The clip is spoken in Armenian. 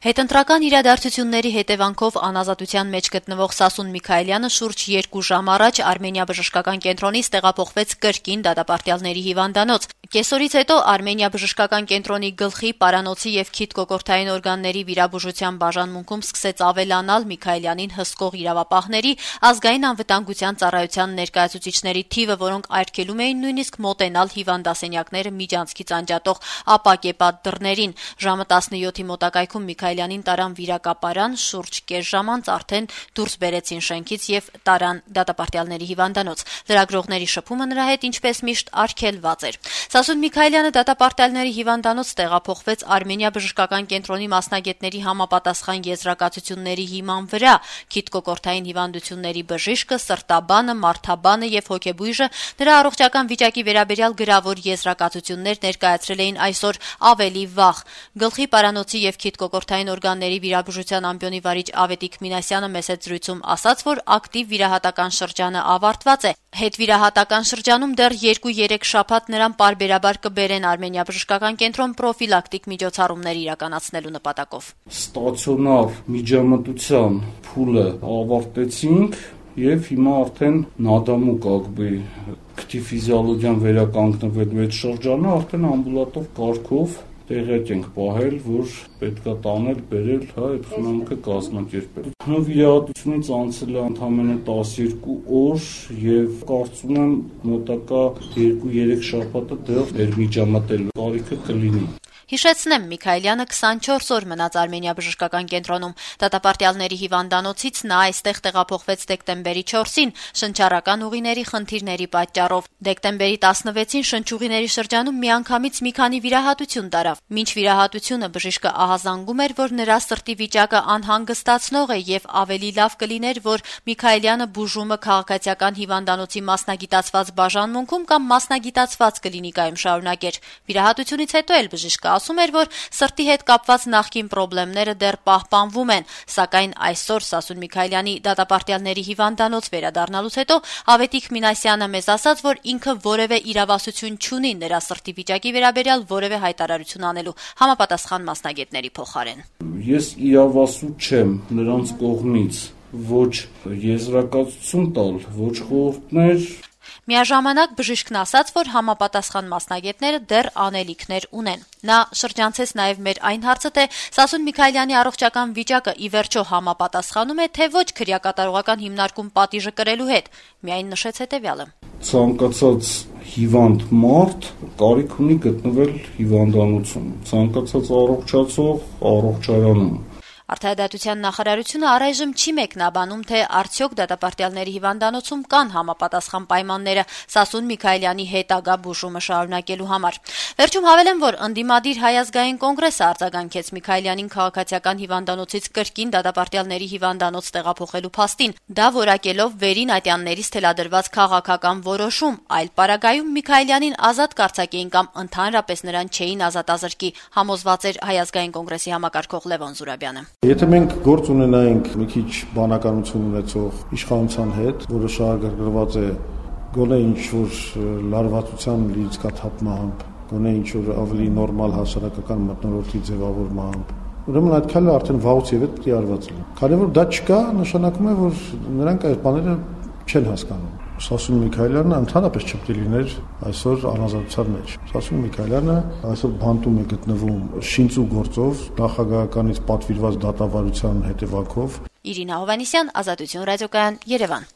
Հետընտրական իրադարձությունների հետևանքով անազատության մեջ գտնվող Սասուն Միքայելյանը շուրջ 2 ժամ առաջ Արմենիա բժշկական կենտրոնից տեղափոխվեց կրկին դատապարտյալների հիվանդանոց։ Կեսօրից հետո Արմենիա բժշկական կենտրոնի գլխի, պարանոցի եւ քիթ-կոկորդային օրգանների վիրաբուժության բաժանմունքում սկսեց ավելանալ Միքայելյանին հսկող իրավապահների, ազգային անվտանգության ծառայության ներկայացուցիչների թիվը, որոնք արգելում էին նույնիսկ մոտենալ հիվանդասենյակները միջանցքից անջատող ապակեպատ դռներին։ Ժամը 17-ի մոտակայքում Միքայելյանին տարան վիրակապարան, շուրջ կես ժամ անց արդեն դուրս բերեցին շենքից եւ տարան դատապարտյալների հիվանդանոց։ Լրագրողների շփումը նրա հետ ինչպես միշտ արգելված էր։ Սասուն Միքայելյանը դատապարտյալների հիվանդանոց տեղափոխվեց Արմենիա բժշկական կենտրոնի մասնագետների համապատասխան եզրակացությունների հիման վրա։ Քիթ-կոկորդային հիվանդությունների բժիշկը, սրտաբանը, մարդաբանը եւ հոգեբույժը նրա առողջական վիճակի վերաբերյալ գրավոր եզրակացություններ ներկայացրել էին այսօր ավելի վաղ։ Գլխի, պարանոցի եւ քիթ-կոկորդային օրգանների վիրաբուժության ամբիոնի վարիչ Ավետիք Մինասյանը մեծ զրույցում ասաց, որ ակտիվ վիրահատական շրջանը ավարտված է։ Հետվիրահատական շրջանում դեռ 2-3 շաբաթ նրան պարբերաբար կբերեն Արմենիա բժշկական կենտրոն պրոֆիլակտիկ միջոցառումներ իրականացնելու նպատակով։ Ստացիոնար միջամտության փուլը ավարտեցինք եւ հիմա արդեն նադամու քթիֆիզիոլոգիան վերականգնվելու այդ շրջանը արդեն ամբուլատոր կարգով տեղյակ ենք պահել, որ պետքա տանել, բերել, այդ խնամքը կազմակերպել։ Վիրահատությունից անցել է ընդամենը 12 օր եւ կարծում եմ մոտակա 2-3 շաբաթը դեռ վերմիջամտելու կարիքը կլինի։ Հիշեցնեմ, Միքայելյանը 24 օր մնաց Արմենիա բժշկական կենտրոնում։ Դատապարտյալների հիվանդանոցից նա այստեղ տեղափոխվեց դեկտեմբերի 4-ին շնչառական ուղիների խնդիրների պատճառով։ Դեկտեմբերի 16-ին շնչուղիների շրջանում միանգամից մի քանի վիրահատություն տարավ։ Մինչ վիրահատությունը բժիշկը ահազանգում էր, որ նրա սրտի վիճակը անհանգստացնող է եւ ավելի լավ կլիներ, որ Միքայելյանը բուժումը քաղաքացիական հիվանդանոցի մասնագիտացված բաժանմունքում կամ մասնագիտացված կլինիկայում շարունակեր։ Վիրահատությունից հետո էլ բժիշկը ասում էր, որ սրտի հետ կապված նախկին խնդիրները դեռ պահպանվում են, սակայն այսօր Սասուն Միքայելյանի դատապարտյալների հիվանդանոց վերադառնալուց հետո Ավետիք Մինասյանը մեզ ասաց, որ ինքը որևէ իրավասություն չունի նրա սրտի վիճակի վերաբերյալ որևէ հայտարարություն անելու, համապատասխան մասնագետների փոխարեն։ Ես իրավասու չեմ նրանց կողմից ոչ եզրակացություն տալ, ոչ խորհուրդներ։ Միաժամանակ բժիշկն ասաց, որ համապատասխան մասնագետները դեռ անելիքներ ունեն։ Նա շրջանցեց նաև մեր այն հարցը, թե Սասուն Միքայելյանի առողջական վիճակը ի վերջո համապատասխանում է, թե ոչ քրեակատարողական հիմնարկում պատիժը կրելու հետ։ Միայն նշեց հետևյալը. Ցանկացած հիվանդ մարդ կարիք ունի գտնվել հիվանդանոցում, ցանկացած առողջացող առողջարանում։ Արդարադատության նախարարությունը առայժմ չի մեկնաբանում, թե արդյոք դատապարտյալների հիվանդանոցում կան համապատասխան պայմանները Սասուն Միքայելյանի հետագա բուժումը շարունակելու համար։ Վերջում հավելեմ, որ ընդդիմադիր Հայ ազգային կոնգրեսը արձագանքեց Միքայելյանին քաղաքացիական հիվանդանոցից կրկին դատապարտյալների հիվանդանոց տեղափոխելու փաստին, դա որակելով վերին ատյաններից թելադրված քաղաքական որոշում, այլ պարագայում Միքայելյանին ազատ կարձակեին կամ ընդհանրապես նրան չէին ազատազրկի, համոզված էր Հայ ազգային կոնգրեսի համակարգող Լևոն Զուրաբյանը։ Եթե մենք գործ ունենայինք մի քիչ բանականություն ունեցող իշխանության հետ, որը շահագրգռված է գոնե ինչ-որ լարվածության լիցքաթափմամբ, գոնե ինչ-որ ավելի նորմալ հասարակական մթնոլորտի ձևավորմամբ, ուրեմն այդ քայլը արդեն վաղուց եւ պետք է արված լինի։ Քանի որ դա չկա, նշանակում է, որ նրանք այդ բաները չեն հասկանում։ Սասուն Միքայելյանը ընդհանրապես չպետք է լիներ այսօր անազատության մեջ։ Սասուն Միքայելյանը այսօր բանտում է գտնվում շինծու գործով նախագահականից պատվիրված դատավարության հետևանքով։ Իրինա Հովհաննիսյան, Ազատություն ռադիոկայան, Երևան։